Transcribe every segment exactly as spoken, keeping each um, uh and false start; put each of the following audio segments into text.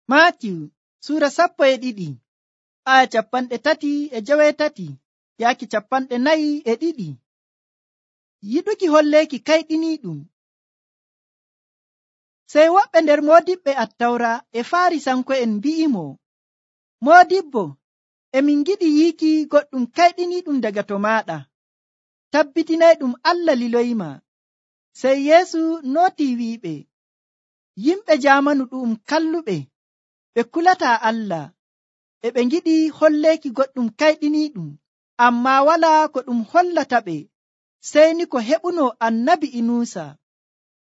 Maatiyu suura sappo e ɗiɗi aya capanɗe tati e jowetati yaaki capanɗe nayi e ɗiɗi. Yiɗuki holleeki kayɗiniiɗum. Sey woɓɓe nder moodiɓɓe attawra e Faarisanko'en mbi'imo, Moodibbo, emin giɗi yiiki goɗɗum kayɗiniiɗum daga to maaɗa. Tabbitinayɗum Allah liloyima. Sey Yeesu nootii wi'iɓe, yimɓe jaamanu ɗu'um kalluɓe, ɓe kulataa Allah, e ɓe ngiɗi holleeki goɗɗum kayɗiniiɗum, ammaa walaa ko ɗum hollataɓe, sey ni ko heɓuno annabi Inuusa.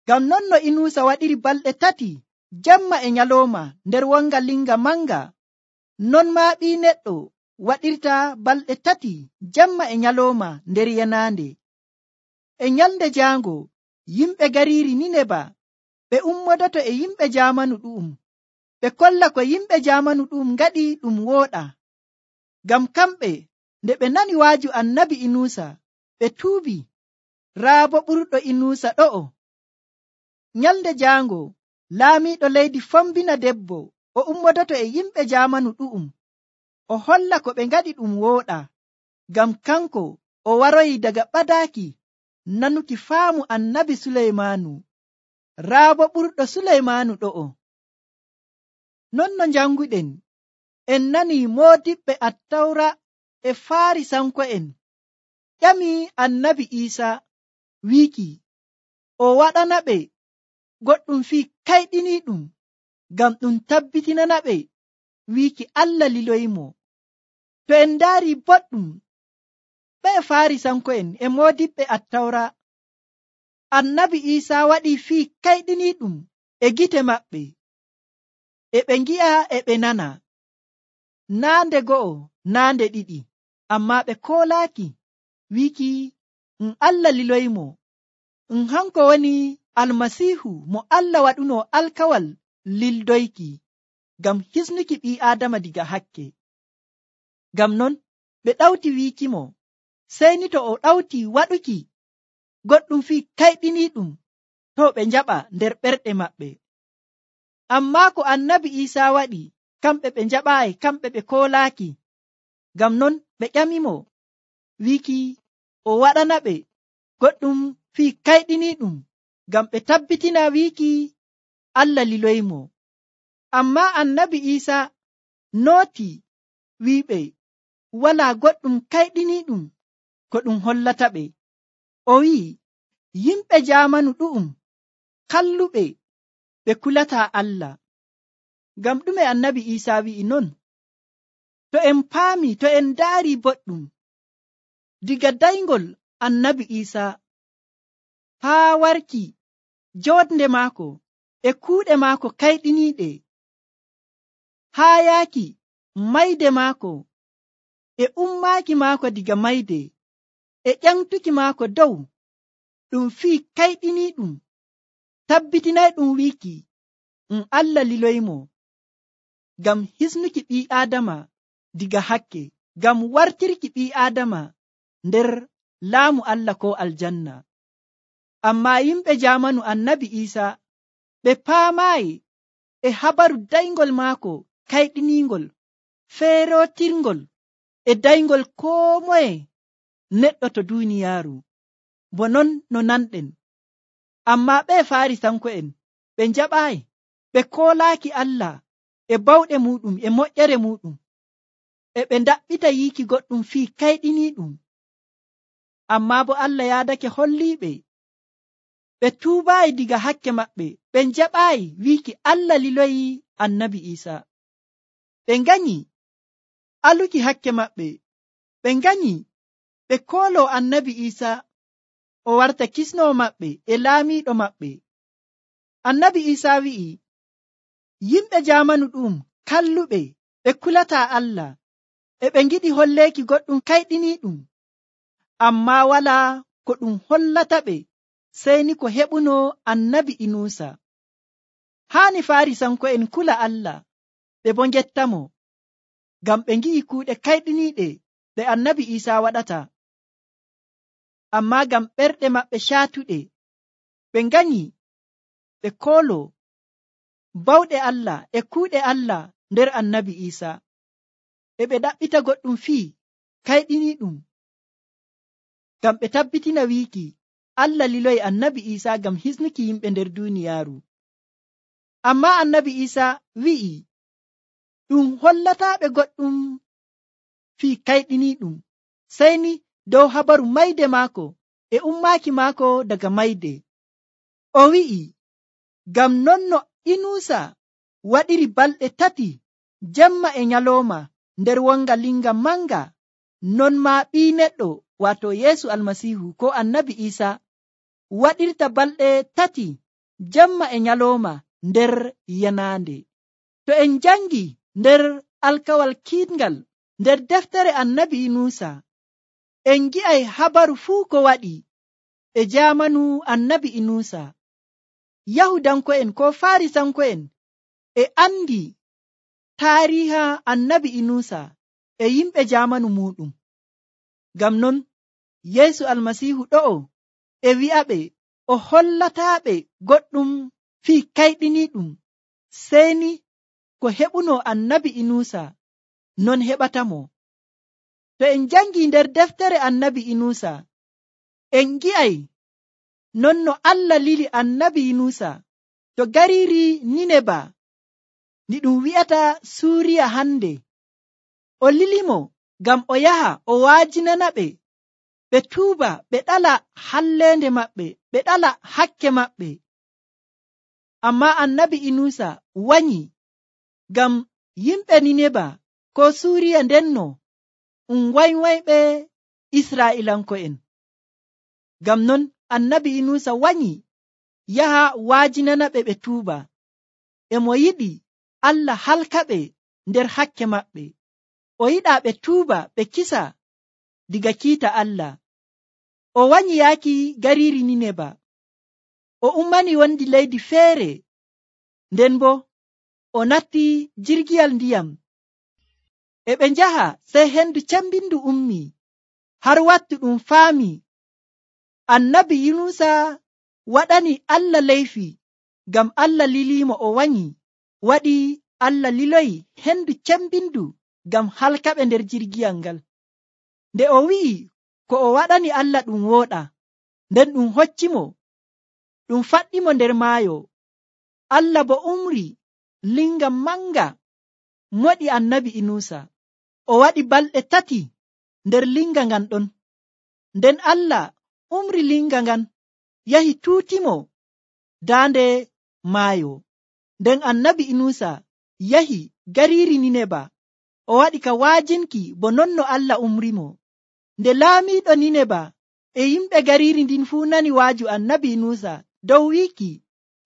Ngam non no Inuusa waɗiri balɗe tati jemma e nyalooma nder wonga linga manga, non maa Ɓii Neɗɗo waɗirta balɗe tati jemma e nyalooma nder yenaande. E nyalnde jaango yimɓe gariiri Nineba ɓe ummodoto e yimɓe jaamanu ɗu'um, ɓe kolla ko yimɓe jaamanu ɗu'um ngaɗi ɗum wooɗa. Ngam kamɓe nde ɓe nani waaju annabi Inuusa, ɓe tuubi. Raa bo ɓurɗo Inuusa ɗo'o. Nyalnde jaango laamiiɗo leydi fombina debbo o ummodoto e yimɓe jaamanu ɗu'um, o holla ko ɓe ngaɗi ɗum wooɗa, ngam kanko o waroyi daga ɓadaaki nanuki faamu annabi Suleymaanu. Raa bo ɓurɗo Suleymaanu ɗo'o. Non no janguɗen, en nani moodiɓɓe attawra e Faarisanko'en ƴami annabi Iisa wiiki o waɗana ɓe goɗɗum fii kayɗiniiɗum ngam ɗum tabbitinana ɓe wiiki Allah liloyimo. To en ndaari boɗɗum, ɓe Faarisanko'en e moodiɓɓe attawra, annabi Iisa waɗi fii kayɗiniiɗum e gite maɓɓe, e ɓe ngi'a e ɓe nana, naa nde go'o naa nde ɗiɗi, ammaa ɓe koolaaki wiiki um Allah liloyimo, um hanko woni Almasiihu mo Allah waɗuno alkawal lildoyki ngam hisnuki ɓii Aadama diga hakke. Ngam non ɓe ɗawti wiikimo, sey ni to o ɗawti waɗuki goɗɗum fii kayɗiniiɗum, to ɓe njaɓa nder ɓerɗe maɓɓe. Ammaa ko annabi Iisa waɗi, kamɓe ɓe njaɓaayi, kamɓe ɓe koolaaki. Ngam non ɓe ƴamimo wiiki o waɗana ɓe goɗɗum fii kayɗiniiɗum ngam ɓe tabbitina wiiki Allah liloyimo. Ammaa annabi Iisa nooti wi'iɓe walaa goɗɗum kayɗiniiɗum ko ɗum hollata ɓe. O wi'i yimɓe jaamanu ɗu'um kalluɓe, ɓe kulataa Allah. Ngam ɗume annabi Iisa wi'i non? To en paami, to en ndaari boɗɗum, diga dayngol annabi Iisa haa warki joodnde maako e kuuɗe maako kayɗiniiɗe, haa yaaki mayde maako e ummaaki maako diga mayde e ƴamtuki maako dow, ɗum fii kayɗiniiɗum, tabbitinayɗum wiiki um Allah liloymo ngam hisnuki ɓii Aadama diga hakke, ngam wartirki ɓii Aadama nder laamu Allah ko aljanna. Ammaa yimɓe jaamanu annabi Iisa ɓe paamaayi e habaru dayngol maako kayɗiniingol, feerootirngol e dayngol koo moye neɗɗo to duuniyaaru. Bo non no nanɗen. Ammaa ɓe Faarisanko'en ɓe njaɓaayi, ɓe koolaaki Allah e bawɗe muuɗum e moƴƴere muuɗum, e ɓe ndaɓɓita yiiki goɗɗum fii kayɗiniiɗum. Ammaa bo Allah yaadake holliiɓe ɓe tuubaayi diga hakke maɓɓe, ɓe njaɓaayi wiiki Allah liloyi annabi Iisa. Ɓe nganyi aluki hakke maɓɓe, ɓe nganyi ɓe kooloo annabi Iisa o warta kisnoo maɓɓe e laamiiɗo maɓɓe. Annabi Iisa wi'i yimɓe jaamanu ɗum kalluɓe, ɓe kulataa Allah, e ɓe ngiɗi holleeki goɗɗum kayɗiniiɗum, ammaa walaa ko ɗum hollata ɓe, sey ni ko heɓuno annabi Inuusa. Haani Faarisanko'en kula Allah, ɓe bo ngettamo, ngam ɓe ngi'i kuuɗe kayɗiniiɗe ɗe annabi Iisa waɗata. Ammaa ngam ɓerɗe maɓɓe caatuɗe, ɓe nganyi ɓe kooloo bawɗe Allah e kuuɗe Allah nder annabi Isa. E ɓe ɗaɓɓita goɗɗum fii kayɗiniiɗum ngam ɓe tabbitina wiiki Allah liloyi annabi Isa ngam hisnuki yimɓe nder duuniyaaru. Amma annabi Isa wi'i ɗum hollataaɓe goɗɗum fii kayɗiniiɗum sey ni dow habaru mayde maako e ummaaki maako daga mayde. O wi'i ngam non no Inuusa waɗiri balɗe tati jemma e nyalooma nder wonga linga manga, non maa ɓii neɗɗo waato Yeesu Almasiihu ko annabi Isa waɗirta balɗe tati jemma e nyalooma nder yanaande. To en jangi nder alkawal kiitngal nder deftere annabi Inuusa, en gi'ay habaru fuu ko waɗi e jaamanu annabi Inuusa. Yahudanko'en ko Farisanko'en e andi taariha annabi Inuusa e yimɓe jaamanu muɗum. Ngam non Yeesu Almasiihu ɗo'o e wi'aɓe o hollataaɓe goɗɗum fii kayɗiniiɗum sey ni ko heɓuno annabi Inuusa non heɓatamo. To en jangi nder deftere annabi Inuusa, en gi'ay non no Allah lili annabi Inuusa to gariiri Nineba ndi ɗum wi'ata Suuriya hande. O lilimo ngam o yaha o waajinana ɓe ɓe tuuba, ɓe ɗala halleende maɓɓe, ɓe ɗala hakke maɓɓe. Amma annabi Inuusa wanyi ngam yimɓe Nineba ko Suuriya ndenno um waywayɓe Israa'ilanko'en. Ngam non annabi Inuusa wanyi yaha waajinana ɓe ɓe tuuba. E mo yiɗi Allah halkaɓe nder hakke maɓɓe. O yiɗaa ɓe tuuba ɓe kisa diga kiita Allah. O wanyi yaaki gariiri Nineba. O ummani wondi leydi feere, nden bo o natti jirgiyal ndiyam. E ɓe njaha sey hendu cembindu ummi har wattu ɗum faami annabi Yunusa waɗani Allah leyfi ngam Allah liliimo o wanyi, waɗi Allah liloyi hendu cembindu ngam halkaɓe nder jirgiyal ngal. Nde o wi'i ko o waɗani Allah ɗum wooɗa, nden ɗum hoccimo ɗum faɗɗimo nder maayo. Allah bo umri linga manga moɗi annabi Inuusa. O waɗi balɗe tati nder linga ngan ɗon. Nden Allah umri linga ngan yahi tuutimo daande maayo. Nden annabi Inuusa yahi gariiri Nineba. O waɗi ka waajinki bo non no Allah umrimo. Nde laamiiɗo Nineba e yimɓe gariiri ndin fuu nani waaju annabi Inuusa dow wiiki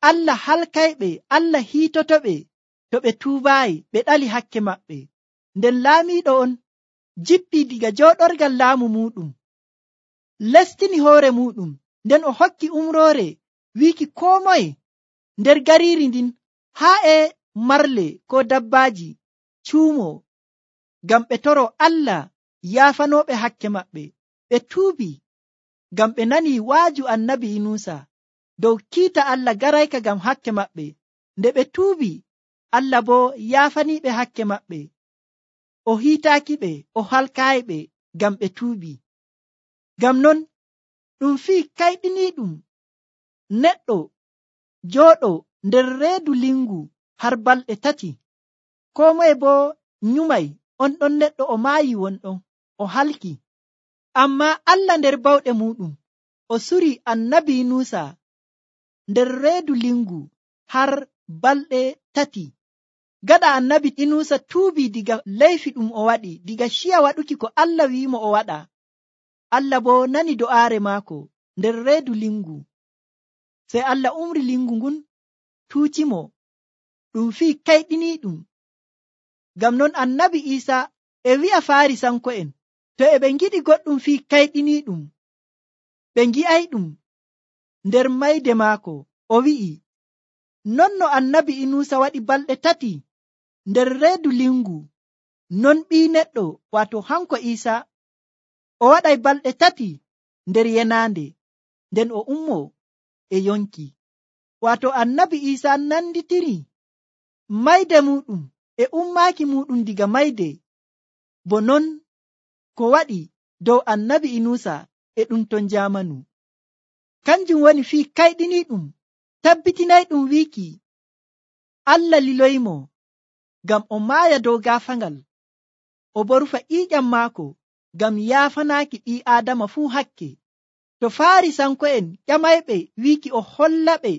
Allah halkayɓe, Allah hiitotoɓe to ɓe tuubaayi ɓe ɗali hakke maɓɓe. Nden laamiiɗo on jippii diga jooɗorgal laamu muɗum, lestini hoore muɗum, nden o hokki umroore wiiki koo moye nder gariiri ndin haa e marle ko dabbaaji cuumo ngam ɓe toro Allah yaafanooɓe hakke maɓɓe. Ɓe tuubi ngam ɓe nani waaju annabi Inuusa dow kiita Allah garayka ngam hakke maɓɓe. Nde ɓe tuubi, Allah bo yaafaniiɓe hakke maɓɓe. O hiitaaki ɓe, o halkaayi ɓe ngam ɓe tuubi. Ngam non ɗum fii kayɗiniiɗum neɗɗo jooɗo nder reedu lingu har balɗe tati, koo moye bo nyumay on ɗon neɗɗo o maayi wonɗon, o halki. Amma Allah nder bawɗe muɗum o suri annabi Inuusa nder reedu lingu har balɗe tati. Gaɗa annabi Inuusa tuubi diga leyfi ɗum o waɗi, diga ciya waɗuki ko Allah wi'imo o waɗa. Allah bo nani do'aare maako nder reedu lingu. Sey Allah umri lingu ngun tuucimo. Ɗum fii kayɗiniiɗum. Ngam non annabi Isa e wi'a Farisanko'en to e ɓe ngiɗi goɗɗum fii kayɗiniiɗum, ɓe ngi'ayɗum nder mayde maako. O wi'i non no annabi Inuusa waɗi balɗe tati nder reedu lingu, non ɓii neɗɗo waato hanko Isa o waɗay balɗe tati nder yenaande, nden o ummo e yonki. Waato annabi Isa nanditiri mayde muɗum e ummaaki muɗum diga mayde, bo non ko waɗi dow annabi Inusa e ɗum ton jamanu. Kanjum woni fii kayɗiniiɗum tabbitinayɗum wiiki Allah liloyimo ngam o maaya dow gaafangal, o bo rufa ƴiiƴam maako ngam yaafanaaki ɓii aadama fuu hakke. To Faarisanko'en ƴamayɓe wiiki o hollaɓe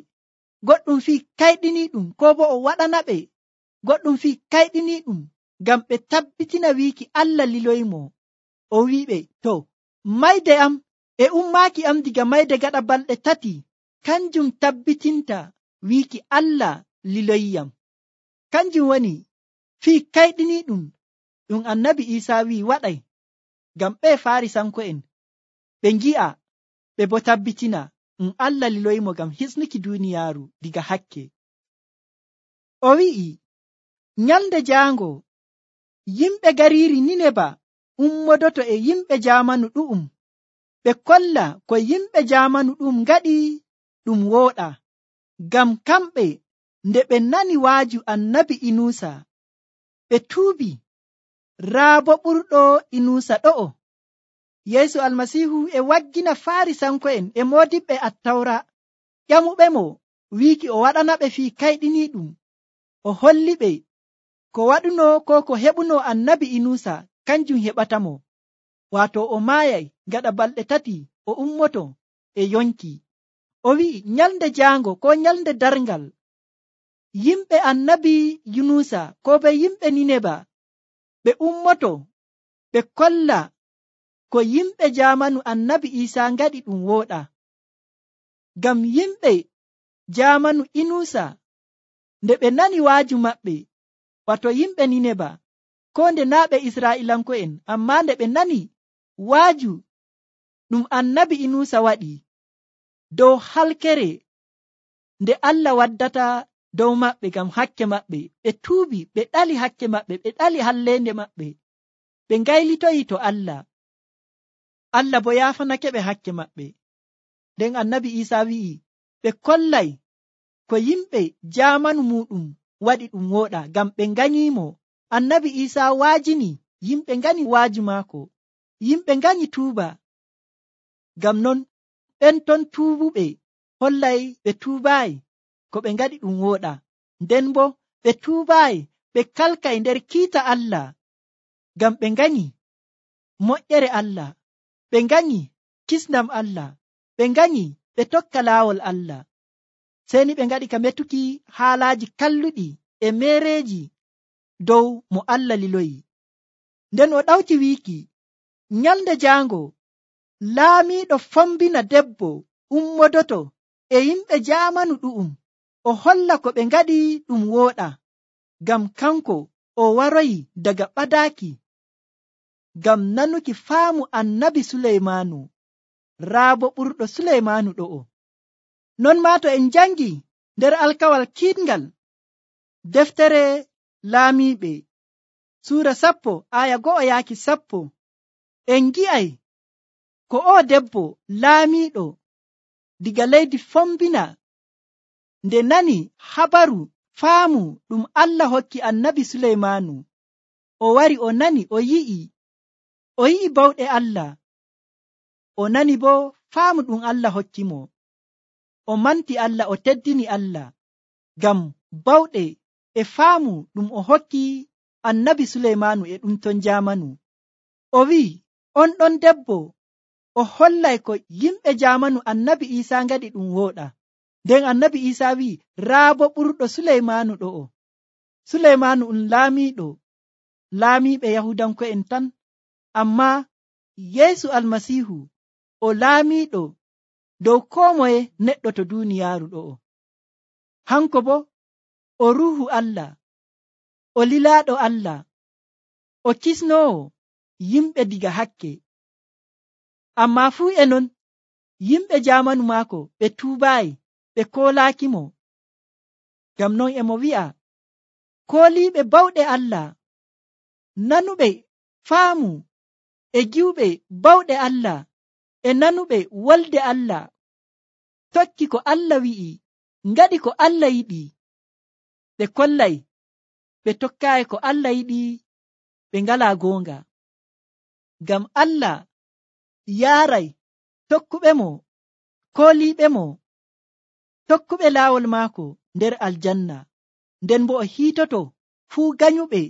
goɗɗum fii kayɗiniiɗum, ko bo o waɗanaɓe goɗɗum fii kayɗiniiɗum ngam ɓe tabbitina wiiki Allah liloyimo, o wi'iɓe, to mayde am e ummaaki am diga mayde gaɗa balɗe tati kanjum tabbitinta wiiki Allah liloyiyam. Kanjum woni fii kayɗiniiɗum ɗum annabi Iisaa wi'i waɗay ngam ɓe Faarisanko'en ɓe ngi'a ɓe bo tabbitina ɗum Allah liloyimo ngam hisnuki duuniyaaru diga hakke. O wi'i nyalnde jaango yimɓe gariiri Nineba ummodoto e yimɓe jaamanu ɗu'um, ɓe kolla ko yimɓe jaamanu ɗum ngaɗi ɗum wooɗa, ngam kamɓe nde ɓe nani waaju annabi Inusa ɓe tuubi. Raa bo ɓurɗo Inusa ɗo'o. Yeesu Almasiihu e waggina Faarisanko'en e moodiɓɓe Attawra ƴamuɓemo wiiki o waɗanaɓe fii kayɗiniiɗum, o holliɓe ko waɗuno ko ko heɓuno annabi Inusa kanjum heɓatamo, waato o maayay gaɗa balɗe tati o ummoto e yonki. O wi'i nyalnde jaango ko nyalnde darngal yimɓe annabi Yunusa ko be yimɓe Nineba ɓe ummoto ɓe kolla ko yimɓe jaamanu annabi Iisaa ngaɗi ɗum wooɗa, ngam yimɓe jaamanu Inusa nde ɓe nani waaju maɓɓe, wato yimɓe Nineba, ko nde naa ɓe Israa'ilanko'en, amma nde ɓe nani waaju ɗum annabi Inusa waɗi dow halkere nde Allah waddata dow maɓɓe ngam hakke maɓɓe, ɓe tuubi, ɓe ɗali hakke maɓɓe, ɓe ɗali halleende maɓɓe, ɓe ngaylitoyi to Allah. Allah bo yaafanake ɓe hakke maɓɓe. Nden annabi Iisaa wi'i ɓe kollay ko yimɓe jaamanu muɗum waɗi ɗum wooɗa, ngam ɓe nganyimo. Annabi Iisaa waajini yimɓe ngani waaju maako, yimɓe nganyi tuuba. Ngam non ɓen ton tuubuɓe hollay ɓe tuubaayi ko ɓe ngaɗi ɗum wooɗa, nden bo ɓe tuubaayi ɓe kalkay nder kiita Allah, ngam ɓe nganyi moƴƴere Allah, ɓe nganyi kisndam Allah, ɓe nganyi ɓe tokka laawol Allah. Seni ɓe ngaɗi ka metuki haalaaji kalluɗi e meereeji dow mo Allah liloyi. Nden o ɗawti wiiki nyalnde jaango laamiiɗo fombina debbo ummodoto e yimɓe jaamanu ɗu'um, o holla ko ɓe ngaɗi ɗum wooɗa, ngam kanko o waroyi daga ɓadaaki ngam nanuki faamu annabi Suleymaanu, raa bo ɓurɗo Suleymaanu ɗo'o. Non maa to en jangi nder alkawal kiitngal deftere laamiiɓe suura sappo aya go'o yaaki sappo, en gi'ay ko o debbo laamiiɗo diga leydi fombina nde nani habaru faamu ɗum Allah hokki annabi Suleymaanu, o wari o nani o yi'i o yi'i bawɗe Allah, o nani bo faamu ɗum Allah hokki mo, o manti Allah, o teddini Allah ngam bawɗe e faamu ɗum o hokki annabi Suleymaanu e ɗum ton jaamanu. O wi'i on ɗon debbo o hollay ko yimɓe jaamanu annabi Iisaa ngaɗi ɗum wooɗa. Nden annabi Iisaa wi'i raa bo ɓurɗo Suleymaanu ɗo'o. Suleymaanu um laamiiɗo laamiiɓe Yahudanko'en tan, amma Yeesu Almasiihu o laamiiɗo dow koo moye neɗɗo to duuniyaaru ɗo'o. Hanko bo o ruuhu Allah, o lilaaɗo Allah, o kisnoowo yimɓe diga hakke. Amma fuu e non yimɓe jaamanu maako ɓe tuubaayi, ɓe koolaakimo. Ngam non e mo wi'a kooliiɓe bawɗe Allah, nanuɓe faamu e giwɓe bawɗe Allah, e nanuɓe wolde Allah, tokki ko Allah wi'i, ngaɗi ko Allah yiɗi, ɓe kollay ɓe tokkaayi ko Allah yiɗi ɓe ngalaa goonga. Ngam Allah yaaray tokkuɓe mo, kooliiɓe mo, tokkuɓe laawol maako nder aljanna, nden bo o hiitoto fuu ganyuɓe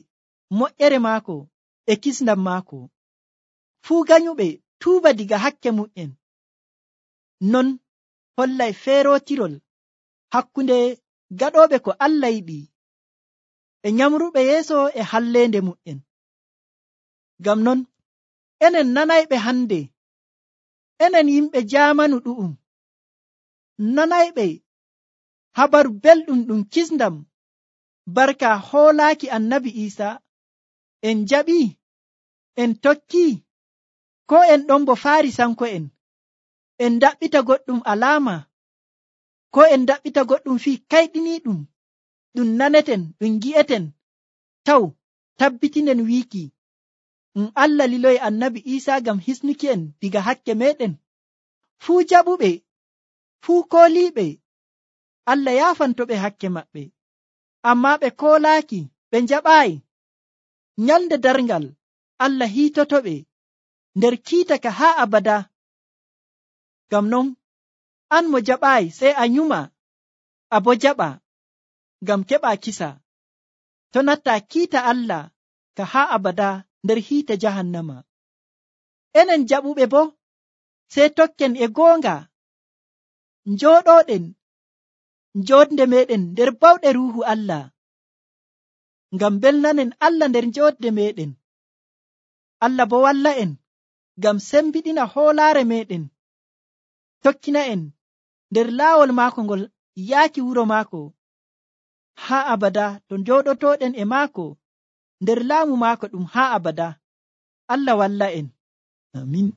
moƴƴere maako e kisndam maako, fuu ganyuɓe tuuba diga hakke mu'en. Non hollay feerootirol hakkunde gaɗooɓe ko Allah yiɗi e nyamruɓe yeeso e halleende mu'en. Ngam non enen nanayɓe hande, enen yimɓe jaamanu ɗu'um, nanayɓe habaru belɗum ɗum kisndam barka hoolaaki annabi Iisa, en jaɓi, en tokki, ko en ɗon bo Faarisanko'en, en daɓɓita goɗɗum alaama, ko en daɓɓita goɗɗum fii kayɗiniiɗum ɗum naneten, ɗum gi'eten, taw tabbitinen wiiki ɗum Allah liloyi annabi Iisa ngam hisnuki en diga hakke meɗen. Fuu jaɓuɓe, fuu kooliiɓe, Allah yaafantoɓe hakke maɓɓe, ammaa ɓe koolaaki, ɓe njaɓaayi. Nyalnde darngal Allah hiitotoɓe nder kiita ka haa abada. Ngam non an mo jaɓaayi sey a nyuma, a bo jaɓa ngam keɓaa kisa, to natta kiita Allah ka haa abada nder hiite jahannama. Enen jaɓuɓe bo sey tokken e goonga, njooɗoɗen njoodde meɗen nder bawɗe ruuhu Allah, ngam belnanen Allah nder njoodde meɗen. Allah bo walla en ngam sembiɗina hoolaare meɗen, tokkina en nder laawol maako ngol yaaki wuro maako haa abada, to njooɗotoɗen e maako nder laamu maako ɗum haa abada. Allah walla en. Amin.